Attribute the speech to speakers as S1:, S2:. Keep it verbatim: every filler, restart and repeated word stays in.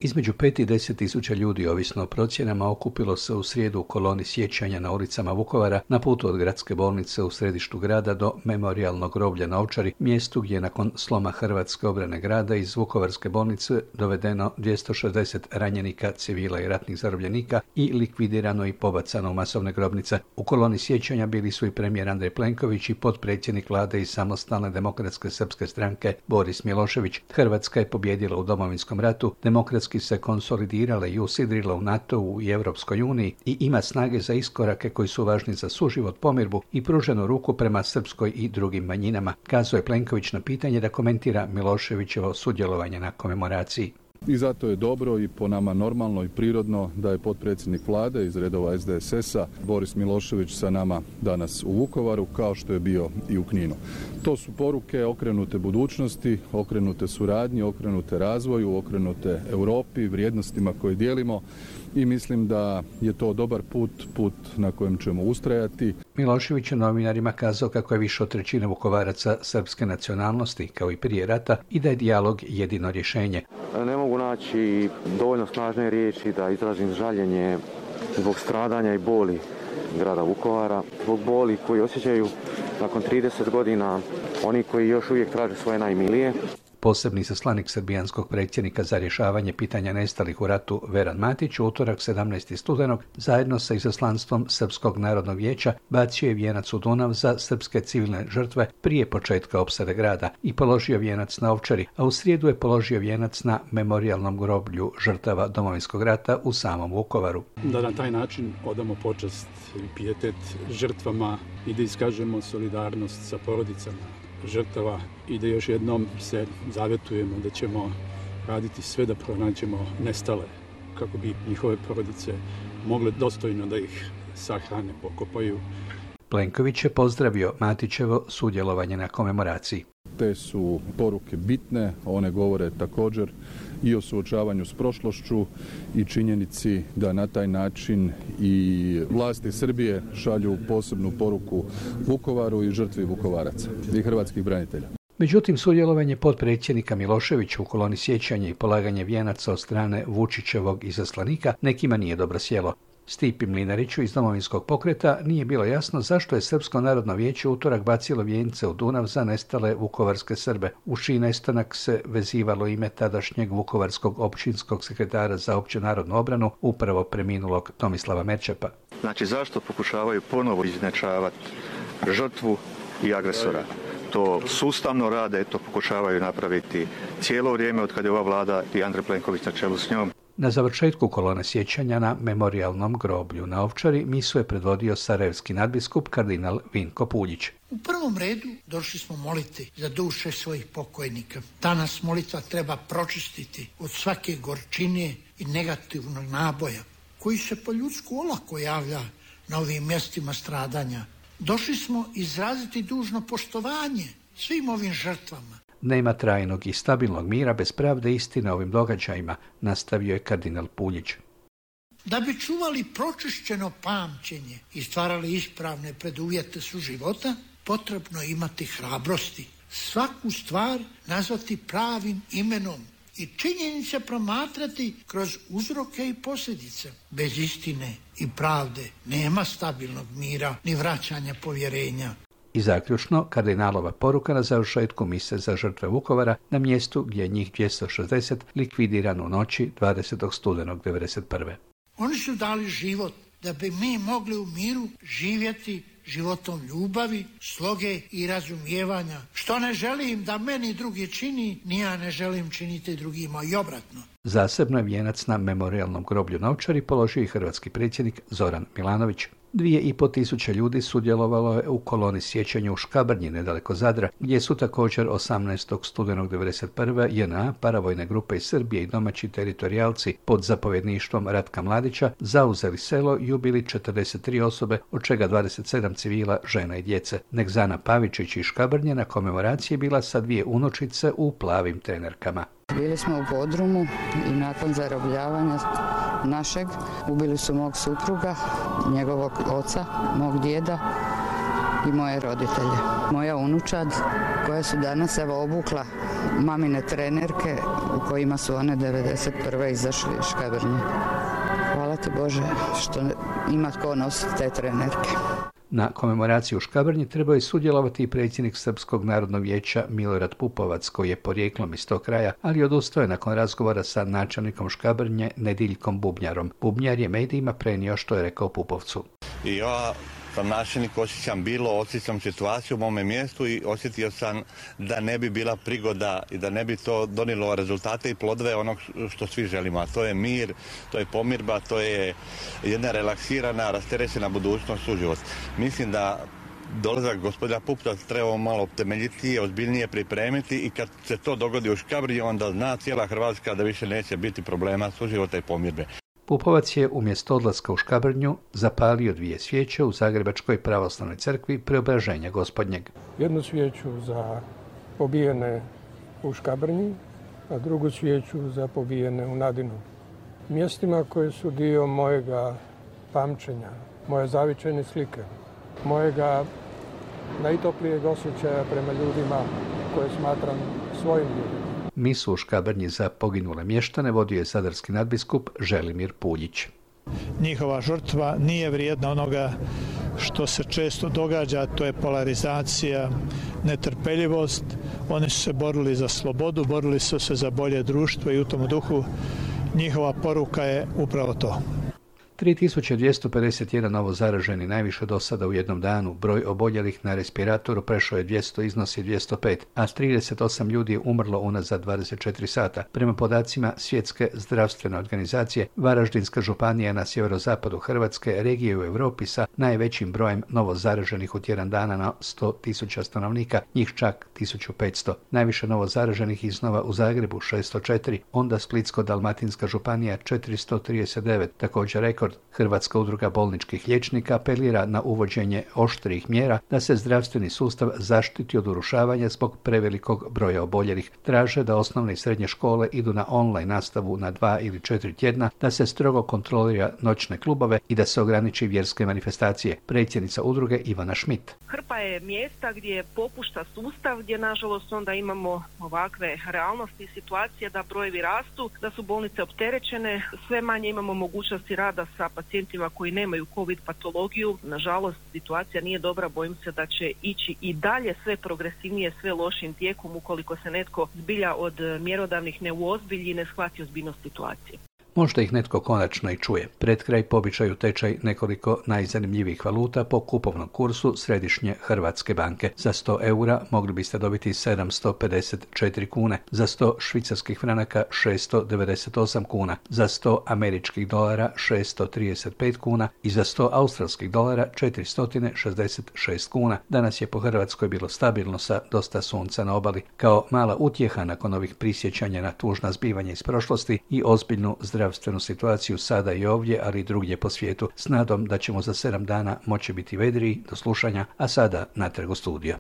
S1: Između pet i deset tisuća ljudi, ovisno o procjenama, okupilo se u srijedu u koloni sjećanja na ulicama Vukovara na putu od gradske bolnice u središtu grada do memorijalnog groblja na Ovčari, mjestu gdje je nakon sloma hrvatske obrane grada iz Vukovarske bolnice dovedeno dvjesto šezdeset ranjenika, civila i ratnih zarobljenika i likvidirano i pobacano u masovne grobnice. U koloni sjećanja bili su i premijer Andrej Plenković i potpredsjednik vlade iz Samostalne demokratske srpske stranke Boris Milošević. Hrvatska je pobijedila u Domovinskom ratu, demokratski se konsolidirala i usidrila u NATO-u i Europskoj uniji i ima snage za iskorake koji su važni za suživot, pomirbu i pruženu ruku prema srpskoj i drugim manjinama, kazao je Plenković na pitanje da komentira Miloševićevo sudjelovanje na komemoraciji.
S2: I zato je dobro i po nama normalno i prirodno da je potpredsjednik vlade iz redova S D S S-a Boris Milošević sa nama danas u Vukovaru, kao što je bio i u Kninu. To su poruke okrenute budućnosti, okrenute suradnji, okrenute razvoju, okrenute Europi, vrijednostima koje dijelimo i mislim da je to dobar put, put na kojem ćemo ustrajati.
S1: Milošević je novinarima kazao kako je više od trećine Vukovaraca srpske nacionalnosti, kao i prije rata, i da je dijalog jedino rješenje.
S3: Ne mogu naći dovoljno snažne riječi da izrazim žaljenje zbog stradanja i boli grada Vukovara, zbog boli koji osjećaju nakon trideset godina oni koji još uvijek traže svoje najmilije.
S1: Posebni izaslanik srbijanskog predsjednika za rješavanje pitanja nestalih u ratu Veran Matić u utorak sedamnaestog studenog zajedno sa izaslanstvom Srpskog narodnog vijeća bacio je vijenac u Dunav za srpske civilne žrtve prije početka opsade grada i položio vijenac na Ovčari, a u srijedu je položio vijenac na memorijalnom groblju žrtava Domovinskog rata u samom Vukovaru.
S4: Da na taj način odamo počast i pijetet žrtvama i da iskažemo solidarnost sa porodicama žrtava i da još jednom se zavjetujemo da ćemo raditi sve da pronađemo nestale kako bi njihove porodice mogle dostojno da ih sahrane, pokopaju.
S1: Plenković je pozdravio Matićevo sudjelovanje na komemoraciji.
S2: Te su poruke bitne, one govore također i o suočavanju s prošlošću i činjenici da na taj način i vlasti Srbije šalju posebnu poruku Vukovaru i žrtvi Vukovaraca i hrvatskih branitelja.
S1: Međutim, sudjelovanje potpredsjednika Miloševića u koloni sjećanja i polaganje vijenaca od strane Vučićevog izaslanika nekima nije dobro sjelo. Stipi Mlinariću iz Domovinskog pokreta nije bilo jasno zašto je Srpsko narodno vijeće utorak bacilo vijence u Dunav za nestale vukovarske Srbe. U čiji nestanak se vezivalo ime tadašnjeg vukovarskog općinskog sekretara za opću narodnu obranu, upravo preminulog Tomislava Merčepa.
S5: Znači, zašto pokušavaju ponovo izjednačavati žrtvu i agresora? To sustavno rade, to pokušavaju napraviti cijelo vrijeme od kada je ova vlada i Andrej Plenković na čelu s njom.
S1: Na završetku kolone sjećanja na memorijalnom groblju na Ovčari misu je predvodio sarajevski nadbiskup kardinal Vinko Puljić.
S6: U prvom redu došli smo moliti za duše svojih pokojnika. Danas molitva treba pročistiti od svake gorčine i negativnog naboja koji se po ljudsku olako javlja na ovim mjestima stradanja. Došli smo izraziti dužno poštovanje svim ovim žrtvama.
S1: Nema trajnog i stabilnog mira bez pravde istine ovim događajima, nastavio je kardinal Puljić.
S6: Da bi čuvali pročišćeno pamćenje i stvarali ispravne preduvjete suživota, potrebno je imati hrabrosti. Svaku stvar nazvati pravim imenom i činjenice promatrati kroz uzroke i posljedice. Bez istine i pravde nema stabilnog mira ni vraćanja povjerenja.
S1: I zaključno, kardinalova poruka na završetku mise za žrtve Vukovara na mjestu gdje je njih dvjesto šezdeset likvidirano u noći dvadesetog studenog devedeset prve.
S6: Oni su dali život da bi mi mogli u miru živjeti životom ljubavi, sloge i razumijevanja. Što ne želim da meni drugi čini, ni ja ne želim činiti drugima i obratno.
S1: Zasebno je vijenac na memorijalnom groblju na Ovčari položio i hrvatski predsjednik Zoran Milanović. Dvije i po tisuće ljudi sudjelovalo je u koloni sjećanja u Škabrnji, nedaleko Zadra, gdje su također osamnaestog studenog devedeset prve J N A, paravojne grupe iz Srbije i domaći teritorijalci pod zapovjedništvom Ratka Mladića zauzeli selo i ubili četrdeset tri osobe, od čega dvadeset sedam civila, žena i djece. Nekzana Pavičić iz Škabrnje na komemoraciji bila sa dvije unučice u plavim trenerkama.
S7: Bili smo u podrumu i nakon zarobljavanja našeg ubili su mog supruga, njegovog oca, mog djeda i moje roditelje. Moja unučad koja su danas evo obukla mamine trenerke u kojima su one devedeset prve izašli iz Škabrnje. Hvala ti Bože što ima tko nositi te trenerke.
S1: Na komemoraciji u Škabrnji trebao je sudjelovati i predsjednik Srpskog narodnog vijeća Milorad Pupovac, koji je porijeklom iz tog kraja, ali odustao je nakon razgovora sa načelnikom Škabrnje Nediljkom Bubnjarom. Bubnjar je medijima prenio što je rekao Pupovcu.
S8: I ja sam načelnik, osjećam bilo, osjećam situaciju u mome mjestu i osjetio sam da ne bi bila prigoda i da ne bi to donijelo rezultate i plodove onog što svi želimo, a to je mir, to je pomirba, to je jedna relaksirana, rasterećena budućnost, suživot. Mislim da dolazak gospodina Pupovca treba malo temeljitije, ozbiljnije pripremiti i kad se to dogodi u Škabrnji, onda zna cijela Hrvatska da više neće biti problema suživota i pomirbe.
S1: Pupovac je umjesto odlaska u Škabrnju zapalio dvije svijeće u Zagrebačkoj pravoslavnoj crkvi Preobraženja Gospodnjeg.
S9: Jednu svijeću za pobijene u Škabrnji, a drugu svijeću za pobijene u Nadinu. Mjestima koje su dio mojega pamćenja, moje zavičajne slike, mojega najtoplijeg osjećaja prema ljudima koje smatram svojim ljudima.
S1: Misu u Škabrnji za poginule mještane vodio je sadarski nadbiskup Želimir Puljić.
S10: Njihova žrtva nije vrijedna onoga što se često događa, to je polarizacija, netrpeljivost. Oni su se borili za slobodu, borili su se za bolje društvo i u tom duhu njihova poruka je upravo to.
S1: tri tisuće dvjesto pedeset jedan novo zaraženi, najviše do sada u jednom danu. Broj oboljelih na respiratoru prešao je dvjesto, iznosi dvjesto pet, a trideset osam ljudi je umrlo unazad dvadeset četiri sata. Prema podacima Svjetske zdravstvene organizacije, Varaždinska županija na sjeverozapadu Hrvatske regije u Europi sa najvećim brojem novo zaraženih u tjedan dana na sto tisuća stanovnika, njih čak tisuću petsto. Najviše novo zaraženih iznova u Zagrebu šesto četiri, onda Splitsko-dalmatinska županija četiristo trideset devet, također rekord. Hrvatska udruga bolničkih liječnika apelira na uvođenje oštrijih mjera da se zdravstveni sustav zaštiti od urušavanja zbog prevelikog broja oboljelih. Traže da osnovne i srednje škole idu na online nastavu na dva ili četiri tjedna, da se strogo kontrolira noćne klubove i da se ograniči vjerske manifestacije. Predsjednica udruge Ivana Šmit.
S11: Hrpa je mjesta gdje popušta sustav, gdje nažalost onda imamo ovakve realnosti i situacije da brojevi rastu, da su bolnice opterećene, sve manje imamo mogućnosti rada sa pacijentima koji nemaju COVID patologiju. Nažalost, situacija nije dobra, bojim se da će ići i dalje sve progresivnije, sve lošim tijekom ukoliko se netko zbilja od mjerodavnih ne uozbilji i ne shvati ozbiljnost situacije.
S1: Možda ih netko konačno i čuje. Pred kraj po običaju tečaj nekoliko najzanimljivijih valuta po kupovnom kursu Središnje Hrvatske banke. Za sto eura mogli biste dobiti sedamsto pedeset četiri kune, za sto švicarskih franaka šesto devedeset osam kuna, za sto američkih dolara šesto trideset pet kuna i za sto australskih dolara četiristo šezdeset šest kuna. Danas je po Hrvatskoj bilo stabilno sa dosta sunca na obali. Kao mala utjeha nakon ovih prisjećanja na tužna zbivanja iz prošlosti i ozbiljnu zdravstvenu situaciju sada i ovdje, ali i drugdje po svijetu, s nadom da ćemo za sedam dana moći biti vedriji. Do slušanja, a sada natrag u studio.